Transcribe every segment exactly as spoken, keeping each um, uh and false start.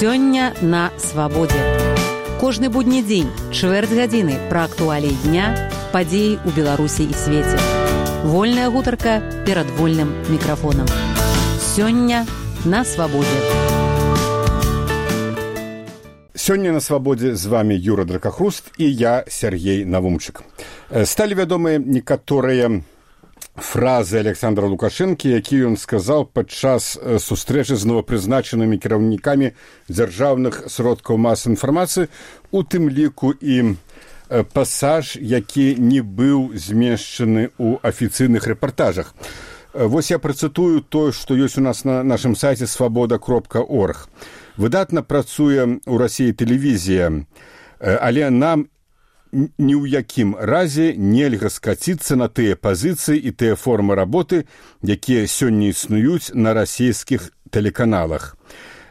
Сёння на свабодзе. Кожны будні дзень, чвэрць гадзіны пра актуаліі дня, падзеі ў Беларусі і свеце. Вольная гутарка перад вольным мікрафонам. Сёння на свабодзе. Сёння на свабодзе з вами Юра Дракахруст і я, Сергей Навумчык. Сталі вядомыя некаторыя фразы Александра Лукашэнкі, які ён сказаў падчас сустрэчы з новапрызначанымі кіраўнікамі дзяржаўных сродкаў масавай інфармацыі, у тым ліку і пасаж, які не быў змешчаны ў афіцыйных рэпартажах. Вось я працытую тое, што ёсць у нас на нашым сайце свабода кропка орг. Выдатна працуе ў Расіі тэлевізія, але нам ні ў якім разе нельга скаціцца на тыя пазіцыі і тыя формы работы, якія сёння існуюць на расійскіх тэлеканалах.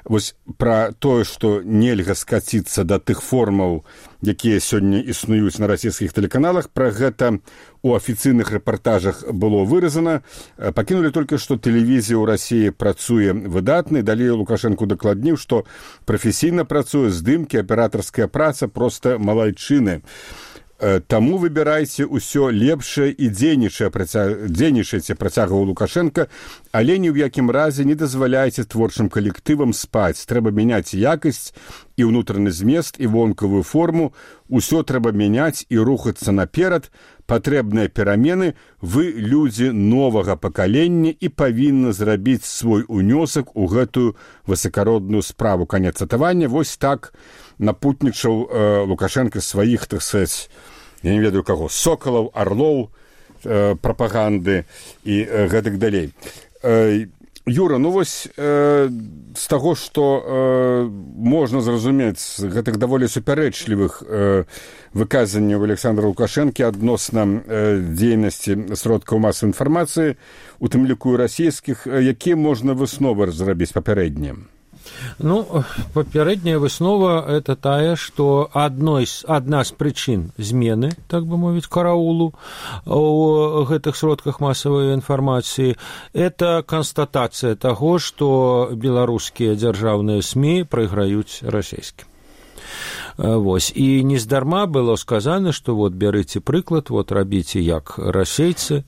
Вось пра тое, што нельга скаціцца да тых формаў, якія сёння існуюць на расійскіх тэлеканалах, пра гэта у афіцыйных рэпартажах было выразана. Пакінулі толькі, што тэлевізія ў Расіі працуе выдатна, і далей Лукашэнку дакладніў, што прафесійна працуе здымкі, аператарская праца проста малайчыны. Таму выбірайце ўсё лепшае і дзейнічайце, працягваў Лукашенка, але ні ў якім разе не дазваляйце творчым калектывам спаць. Трэба мяняць якасць і ўнутраны змест, і вонкавую форму. Усё трэба мяняць і рухацца наперад. Патрэбныя перамены. Вы людзі новага пакалення і павінны зрабіць свой унёсак у гэтую высакародную справу. Канец цытавання. Вось так напутнічаў э, Лукашенка сваіх, так сказаць, я не ведаю каго, сокалаў, арлоў, э, прапаганды і э, гэтак далей. Э, Юра, ну вось э, з таго, што э, можна зразумець гэтых даволі супярэчлівых э, выказанняў Александра Лукашэнкі адносна э, дзейнасці сродкаў масавай інфармацыі, у тым ліку расійскіх, э, якія можна высновы зрабіць папярэднія? Ну, папярэдняя выснова – это тая, што адной, адна з прычын змены, так бы мовіць, караулу у гэтых сродках масавай інфармацыі – это канстатацыя таго, што беларускія дзяржаўныя СМІ прайграюць расійскім. Вось. І нездарма было сказано, што вот бярыце прыклад, вот рабіце як расейцы.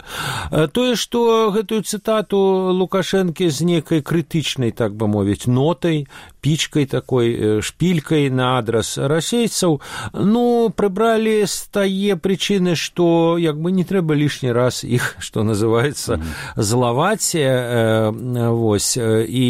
Тое, што гэтую цытату Лукашэнкі з некай крытычнай, так бы мовіць, нотай, пічкай такой, шпількай на адрас расейцаў, ну, прыбралі з тае прычыны, што як бы не трэба лішні раз іх, што называецца, злаваць. Вось. І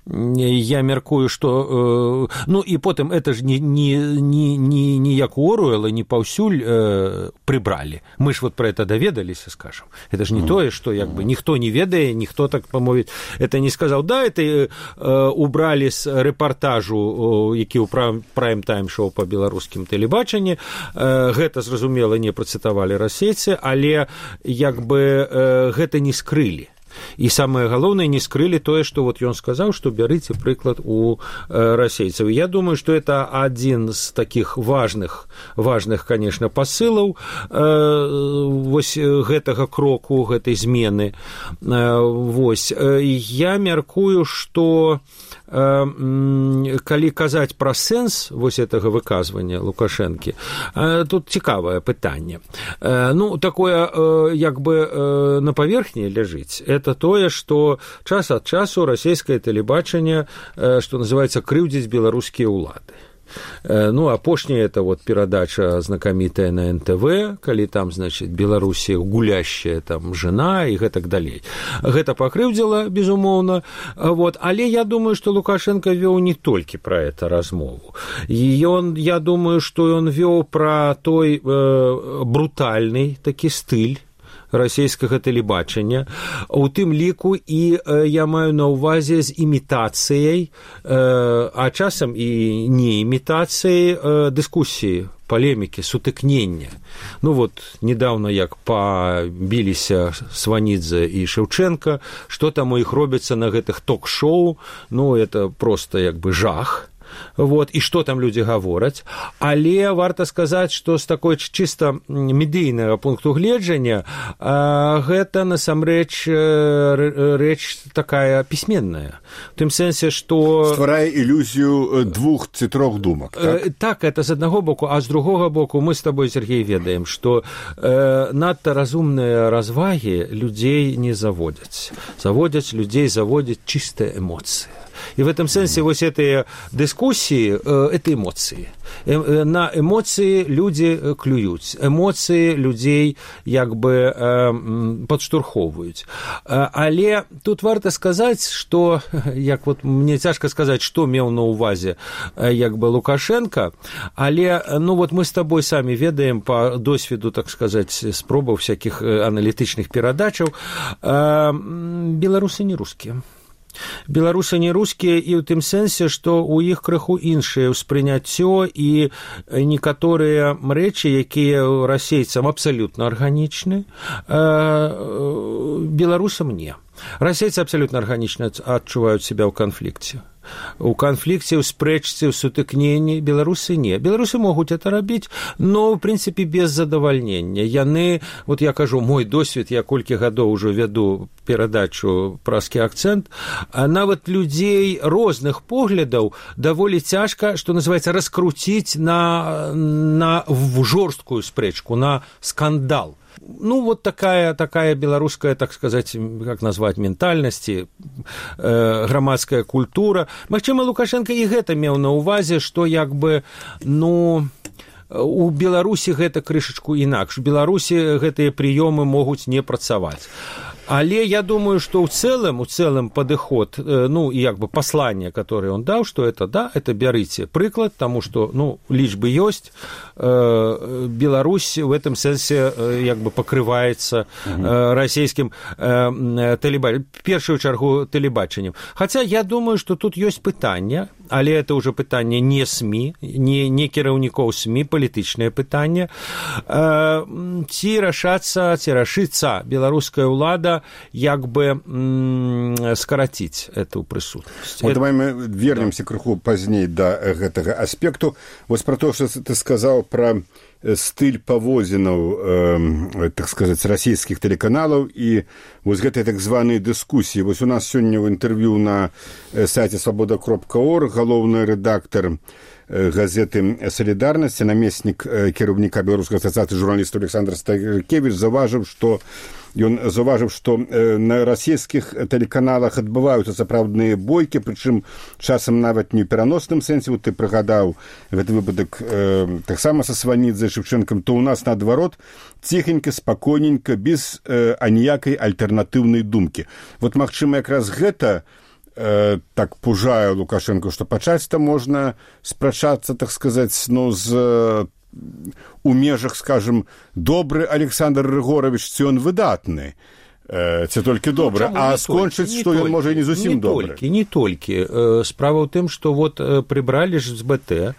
я мяркую, што... Э, ну, і потым это ж не, не, не, не, не як у Оруэлла, не паўсюль э, прыбралі. Мы ж вот про это даведаліся, скажем. Это ж не mm-hmm. тое, што як бы ніхто не ведае, ніхто так памовіць, это не сказаў. Да, это э, убралі з рэпартажу, э, які ў прайм-тайм-шоу па беларускім тэлебачанні. Э, гэта, зразумела, не працытавалі расейцы, але як бы э, гэта не скрылі. І самае галоўнае, не скрылі тое, што вот ён сказаў, што бярыце прыклад у э, расейцаў. Я думаю, што это адзін з такіх важных, важных, конечно, пасылаў э, вось гэтага кроку, гэтай змены. Э, вось. Я мяркую, што калі казаць пра сэнс вось гэтага выказвання Лукашэнкі, тут цікавае пытанне. Ну, такое, як бы, на паверхні ляжыць. Это тое, што час ад часу расійскае тэлебачанне, што называецца, крыўдзіць беларускія ўлады. Ну, апошняя это вот перадача знакамітая на эн тэ вэ, калі там, значит, Беларусі гулящая там жена і гэтак далей. Гэта пакрыўдзіла, безумоўна, вот. Але я думаю, што Лукашенко вёў не толькі пра это размову. І ён, я думаю, што ён вёў пра той э, брутальны такі стыль расійскага тэлебачання, у тым ліку і э, я маю на ўвазе з імітацыяй, э, а часам і не імітацыяй э, дыскусіі, палемікі, сутыкнення. Ну вот, недавно як пабіліся Сванідзе і Шэўчэнка, што там у іх робіцца на гэтых ток-шоу, ну это просто як бы жах. вот, і што там людзі гавораць, але варта сказаць, што з такой чыста медыйнага пункту гледжання гэта насамрэч рэч такая пісьменная. В тым сэнсе, што... Стварае ілюзію двух ці трох думак, так? Так, это з аднаго боку, а з другога боку мы з табой, Сергей, ведаем, што э, надта разумныя развагі людзей не заводзяць. Заводзяць людзей, заводзяць чыстыя эмоцыі. И в этом смысле вот эти дискуссии – это эмоции. На эмоции люди клюют, эмоции людей как бы подштурховывают. Але тут варто сказать, что, як вот мне тяжко сказать, что имел на увазе как бы Лукашенко, але ну вот мы с тобой сами ведаем по досвіду, так сказать, спробаў всяких аналітычных перадачаў, беларусы не русские. Беларусы не рускія і ў тым сэнсе, што ў іх крыху іншае ўспрыняццё і некаторыя рэчы, якія расейцам абсалютна арганічны, беларусам не. Расейцы абсалютна арганічна адчуваюць себя ў канфлікце. У канфлікце, у спрэчцы, у сутыкненні беларусы не. Беларусы могуць это рабіць, но, в прынцыпе, без задавальнення. Яны, вот я кажу, мой досвед, я колькі гадоў ужо вяду перадачу «Праскі акцэнт», а нават людзей розных поглядаў даволі цяжка, што называецца, раскруціць на, на жорсткую спрэчку, на скандал. Ну, вот такая, такая белорусская, так сказать, как назвать, ментальнасці, э, грамадская культура. Магчыма, Лукашенко і гэта меў на ўвазе, што як бы, ну, у Беларусі гэта крышачку інакш. У Беларусі гэтыя прыёмы могуць не працаваць. Але я думаю, что в целом, в целом подход, ну, и как бы послание, которое он дал, что это, да, это берите приклад, потому что, ну, лічбы ёсць, э, Беларусь в этом сенсе как бы покрывается э, российским э, телебачением, в первую чергу телебачением. Хотя я думаю, что тут есть пытание, але это уже пытание не СМИ, не, не кіраўнікоў СМИ, палітычнае пытанне, э, ці рашацца, ці рашыцца беларуская ўлада як бы м- скараціць эту прысутнасць. Вот, давай мы вернемся крыху пазней да гэтага аспекту. Вось пра то, што ты сказаў пра стыль паводзінаў, э, так сказаць, расійскіх тэлеканалаў і вось гэтай так званай дыскусіі. Вось у нас сёння ў інтэрв'ю на сайце свабода кропка орг галоўны рэдактар газеты «Солидарность», намеснік кіраўніка Беларускай асацыяцыі журналістаў Александр Стайкевіч заўважыў, што Ён заўважыў, што на расійскіх тэлеканалах адбываюцца сапраўдныя бойкі, прычым часам нават не ў пераносным сэнсе. Вот ты прыгадаў гэты выпадак э, таксама са Сванідзе Шевчэнкам, то ў нас наадварот ціхенька, спакойненька, без э, аніякай альтэрнатыўнай думкі. Вот магчыма якраз гэта э, так пужае Лукашенко, што пачаць-то можна спрачацца, так сказаць, ну, з у межах, скажем, добры Александр Рыгорович, ці ён выдатны, ці толькі добры, ну, а скончыць, што ён можа і не зусім не добры. Толькі, не толькі. Справа ў тым, што вот прыбралі ж з БТ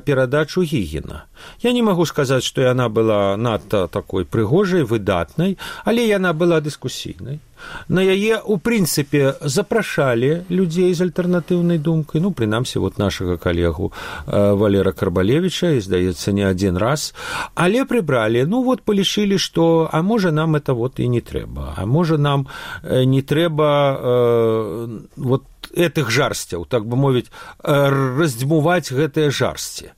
перадачу Гігіна. Я не магу сказаць, што яна была надта такой прыгожай, выдатнай, але яна была дыскусійнай. На яе, у прынцыпе, запрашалі людзей з альтэрнатыўнай думкай, ну, прынамсі, вот нашага калегу Валера Карбалевіча, і, здаецца, не адзін раз, але прыбралі, ну, вот, палічылі, што, а можа, нам это вот і не трэба, а можа, нам не трэба э, вот этих жарсцяў, так бы мовіць, раздзьмуваць гэтыя жарсці.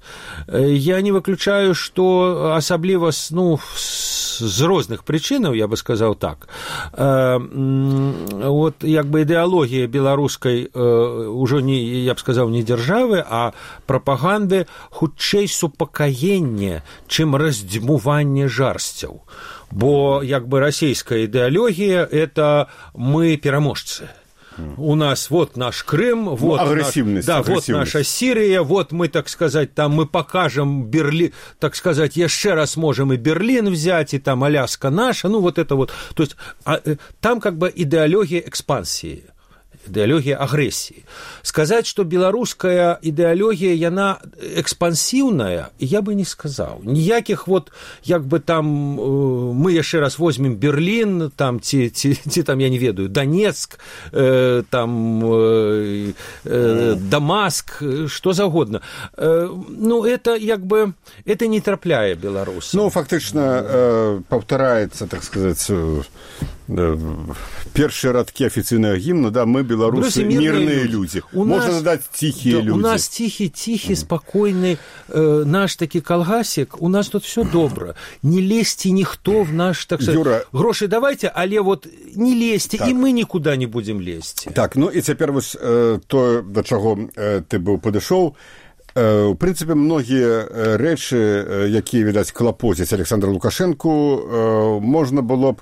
Я не выключаю, што асабліва, ну, з розных прычынаў, я бы сказаў так, вот, як бы ідэалогія беларускай ужо не, я б сказаў, не дзяржавы, а прапаганды хутчэй супакаенне, чым раздзьмуванне жарсцяў. Бо, як бы, расійская ідэалогія – это мы пераможцы. У нас вот наш Крым, вот, ну, агрессивность, наш, да, агрессивность. Вот наша Сирия, вот мы, так сказать, там мы покажем Берлин, так сказать, еще раз можем и Берлин взять, и там Аляска наша, ну вот это вот. То есть а, там как бы идеология экспансии. ідэалогія агрэсіі. Сказаць, што беларуская ідэалогія, яна экспансіўная, я бы не сказаў. Ніякіх вот, як бы там, мы яшчэ раз возьмем Берлін, там, ці, ці, ці там, я не ведаю, Донецк, э, там, э, э, Дамаск, што загодна. Э, ну, это, як бы, это не трапляе беларусам. Ну, фактычна, э, паўтараецца, так сказаць, э, першыя радкі афіцыйнага гімна, да, мы, беларусы, мирные люди. У Можно нас, надать тихие да, люди. У нас тихий, тихий, спокойный э, наш таки колгасик, у нас тут все добро. Не лезьте никто в наш, так сказать, Юра... гроши давайте, але вот не лезьте, так. И мы никуда не будем лезть. Так, ну и теперь вот э, то, до чего э, ты был подошел. Э, в принципе, многие э, рэчы, э, якія, відаць, клапоцяць Александра Лукашенку, э, можна было б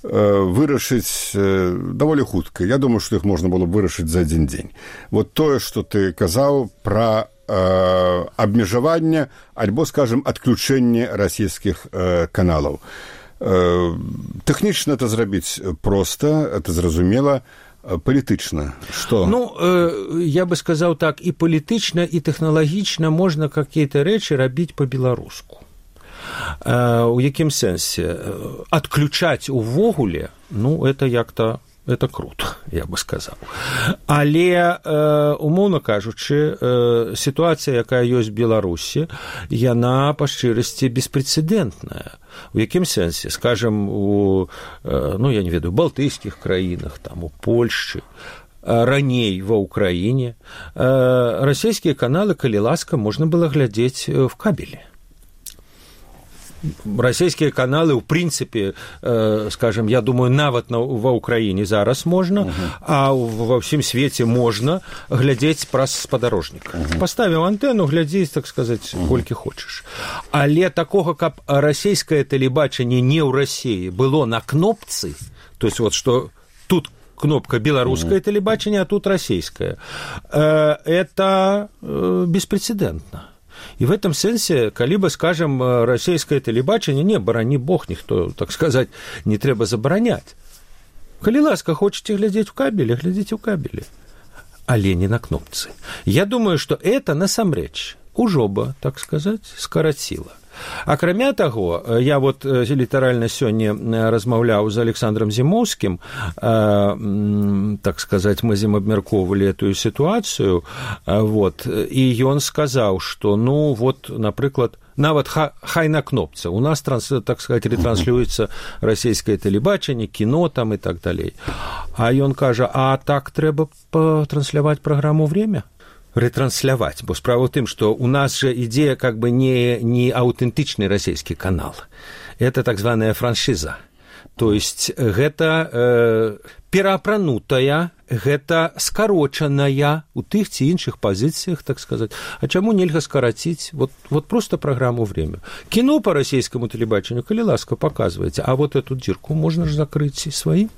вырашыць даволі хутка. Я думаю, што іх можна было б вырашыць за адзін дзень. Вот тое, што ты казаў пра э, абмежаванне альбо, скажем, адключэнне расійскіх э, каналаў. Э, тэхнічна это зрабіць проста, это зразумела, палітычна. Што? Ну, э, я бы сказаў так, і палітычна, і тэхналагічна можна какія-то рэчы рабіць па-беларуску. У якім сэнсе? Адключаць увогуле, ну, это як-то, это круто, я бы сказаў. Але, умоўна кажучы, сітуацыя, якая ёсць в Беларусі, яна, па шчырасці, беспрэцэдэнтная. У якім сэнсе? Скажем, у, ну, я не ведаю, балтыйскіх краінах, там, у Польшчы, раней ва Ўкраіне, расійскія каналы, калі ласка, можна было глядзець в кабелі. Расійскія каналы, ў прынцыпе, э, скажем, я думаю, нават на, ва Ўкраіне зараз можна, uh-huh. а ва ўсім свеце можна глядзець праз спадарожнік. Uh-huh. Паставіў антэну, глядзець, так сказаць, uh-huh. колькі хочаш. Але такога, каб расійскае тэлебачанне не ў Расіі было на кнопцы, то есть вот, што тут кнопка беларускае uh-huh. тэлебачанне, а тут расійскае, э, это э, беспрэцэдэнтна. И в этом сенсе, калі бы, скажем, расійскае тэлебачанне, не, барані бог, ніхто, так сказать, не трэба забараняць. Калі ласка, хочаце глядзець у кабелі, глядзіце ў кабелі, але не на кнопцы. Я думаю, што это, насамрэч, ужо бы, так сказать, скараціла. Акрамя таго, я вот літаральна сёння размаўляў з Александром Зімоўскім, так сказать, мы з ім абмяркоўвалі эту сітуацыю, вот, і ён сказаў, што, ну, вот, напрыклад, нават хай на кнопцы. У нас, так сказать, ретранслюецца расійскае тэлебачанне, кіно там і так далей. А ён кажа, а так трэба трансляваць праграму «Время»? Ретрансляваць, бо справа ў тым, што у нас же ідзе как бы не, не аўтэнтычны расійскі канал. Это так званая франшиза. То есть гэта э, пераапранутая, гэта скарочаная у тых ці іншых пазіцыях, так сказаць. А чаму нельга скараціць вот, вот просто праграму «Время»? Кіно по расійскаму тэлебачанню, калі ласка, паказваеце, а вот эту дзірку можна ж закрыць сваім.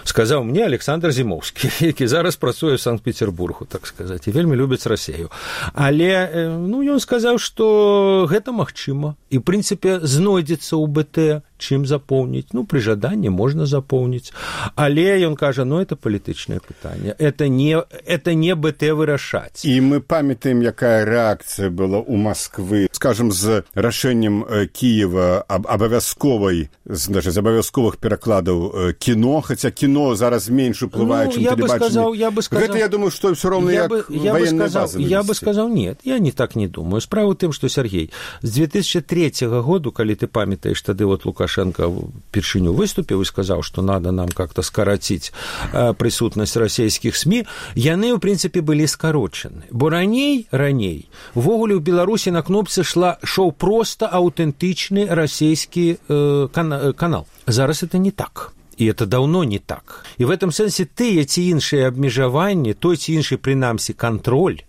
Сказаў мне Александр Зімоўскі, які зараз працуе ў Санкт-Петербургу, так сказаць, і вельмі любіць Расію. Але, ну, ён сказаў, што гэта магчыма. І, ў прынцыпе, знойдзецца ў бэ тэ, чым запоўніць. Ну, пры жаданні можна запоўніць. Але ён кажа, ну, это палітычнае пытанне. Это не, это не бэ тэ вырашаць. І мы памятаем, якая рэакцыя была ў Масквы, скажем, з рашэннем Кіева аб абавязковай, значит, з абавязковых перакладаў кіно, хаця кіно зараз менш уплывае, ну, чым тэлебачанне. Я бы сказал, гэта, я думаю, што ўсё роўна як ваенная база. Я бы сказал, нет, я не так не думаю. Справа ў тым, што, Сергей, з две тысячи третьего году, калі ты памятаеш, тады вот Лукашенко першыню выступіў і сказаў, што надо нам как-то скараціць прысутнасць расійскіх СМИ, яны, ў прынцыпе, былі скарочаны. Бо раней, раней, увогуле ў Беларусі на кнопцы шла, шоў проста аўтэнтычны расійскі э, кана, канал. Зараз это не так. І это даўно не так. І в этом сэнсе тыя ці іншыя абмежаванні, той ці іншы, прынамсі, кантроль,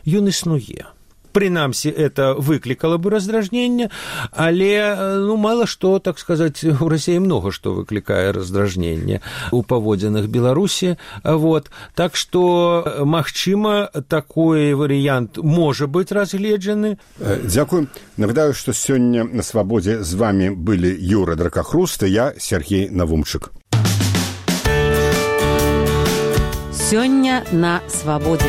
ён існуе. Прынамсі, это выклікала бы раздражненне, але, ну, мала што, так сказаць, у Расіі многа што выклікае раздражненне у паводзінах Беларусі, вот. Так што, магчыма, такой варыянт можа быць разгледжаны. Дзякую. Нагадаю, што сёння на Свабодзе з вами былі Юра Дракахруст і я, Сергей Навумчык. Сёння на свабодзе.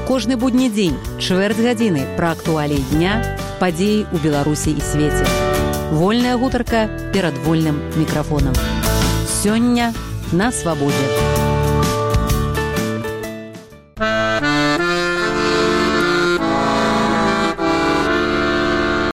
Кожны будні дзень, чвэрць гадзіны пра актуаліі дня, падзеі ў Беларусі і свеце. Вольная гутарка перад вольным мікрафонам. Сёння на свабодзе.